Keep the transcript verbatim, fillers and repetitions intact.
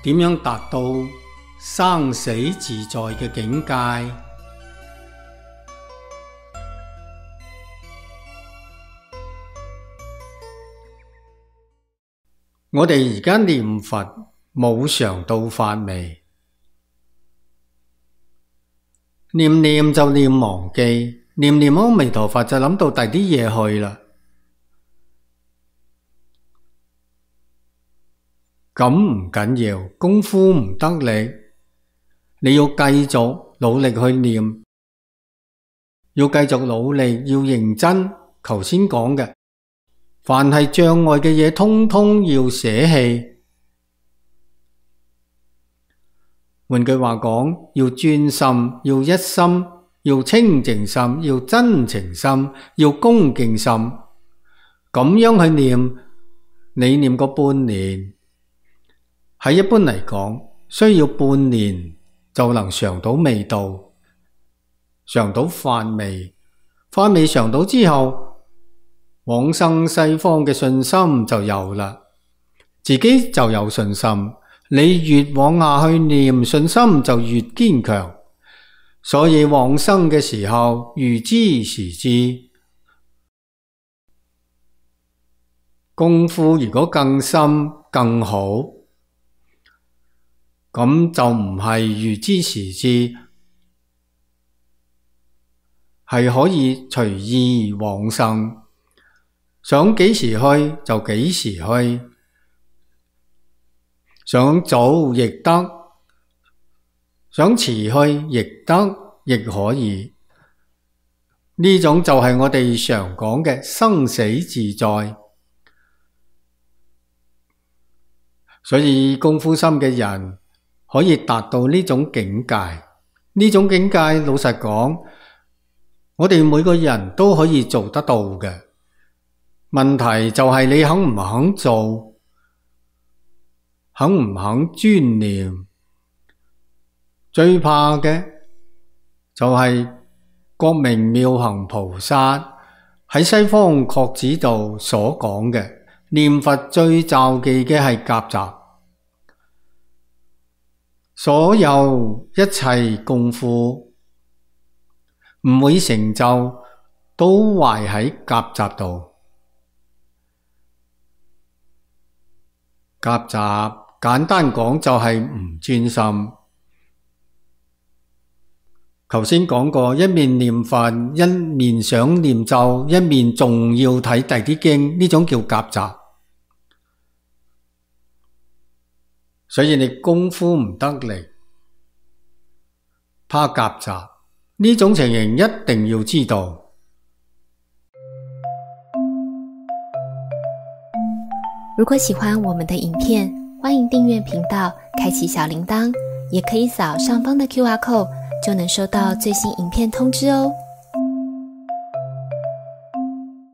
點樣達到生死自在嘅境界？我哋而家念佛冇常到法未？念念就念忘記，念念阿彌陀佛就諗到第啲嘢去啦。咁唔緊要，功夫唔得力，你要繼續努力去念，要繼續努力，要認真。頭先講嘅，凡係障礙嘅嘢，通通要捨棄。換句話講，要專心，要一心，要清淨心，要真情心，要恭敬心。咁樣去念，你念個半年，喺一般嚟講，需要半年就能嘗到味道，嘗到法味。法味嘗到之後，往生西方嘅信心就有啦，自己就有信心。你越往下去念，信心就越堅強。所以往生嘅時候，預知時至。功夫如果更深更好，咁就唔係預知時至，係可以隨意往生，想幾時去就幾時去，想早亦得，想遲去亦得，亦可以。呢種就係我哋常講嘅生死自在。所以功夫深嘅人可以達到呢種境界。呢種境界老實講，我哋每個人都可以做得到嘅。問題就係你肯唔肯做，肯唔肯專念。最怕嘅就係覺明妙行菩薩喺西方確指度所講嘅，念佛最罩忌嘅係夾雜。所有一切功夫唔會成就，都壞喺夾雜度。夾雜簡單講就係唔專心。頭先講過，一面念佛，一面想念咒，一面仲要睇第啲經，呢種叫夾雜。所以你功夫唔得力，怕夾雜，呢種情形一定要知道。如果喜歡我們的影片，歡迎訂閱頻道，開啟小鈴鐺，也可以掃上方的 Q R code，就能收到最新影片通知哦。